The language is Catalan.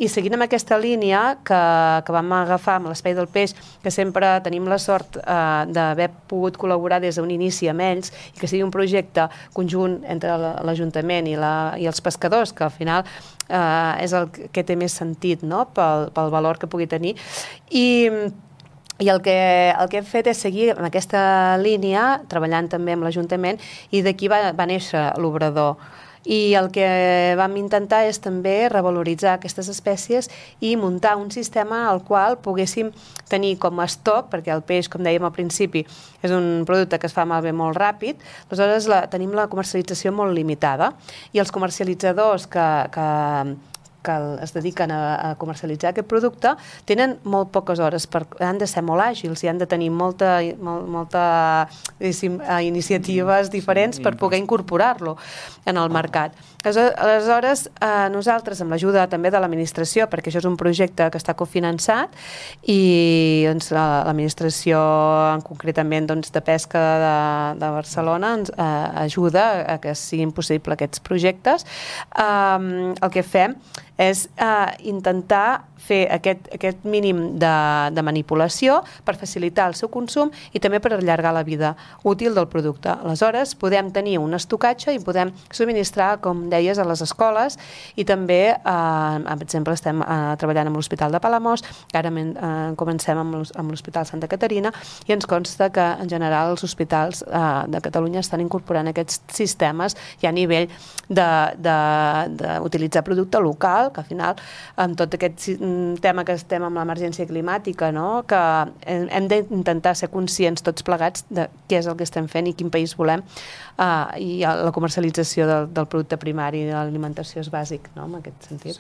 I seguint amb aquesta línia que vam agafar amb l'Espai del Peix, que sempre tenim la sort d'haver pogut col·laborar des d'un inici amb ells i que sigui un projecte conjunt entre l'Ajuntament i els pescadors, que al final és el que té més sentit, no? Pel valor que pugui tenir. I el que hem fet és seguir en aquesta línia, treballant també amb l'Ajuntament, i d'aquí va néixer l'obrador. I el que vam intentar és també revaloritzar aquestes espècies i muntar un sistema al qual poguéssim tenir com a estoc, perquè el peix, com dèiem al principi, és un producte que es fa malbé molt ràpid, aleshores tenim la comercialització molt limitada, i els comercialitzadors que es dediquen a comercialitzar aquest producte tenen molt poques hores, han de ser molt àgils i han de tenir molta iniciatives diferents per poder incorporar-lo en el mercat. Aleshores, nosaltres, amb l'ajuda també de l'administració, perquè això és un projecte que està cofinançat, i l'administració, concretament de Pesca de Barcelona, ens ajuda a que siguin possibles aquests projectes. El que fem és intentar fer aquest mínim de manipulació per facilitar el seu consum i també per allargar la vida útil del producte. Aleshores, podem tenir un estocatge i podem subministrar, com deies, a les escoles, i també, per exemple, estem treballant amb l'Hospital de Palamós, ara comencem amb l'Hospital Santa Caterina, i ens consta que en general els hospitals de Catalunya estan incorporant aquests sistemes ja a nivell d'utilitzar producte local, que al final, amb tot aquest tema que estem amb l'emergència climàtica, que hem d'intentar ser conscients tots plegats de què és el que estem fent i quin país volem, i la comercialització del producte primari de l'alimentació és bàsic, en aquest sentit.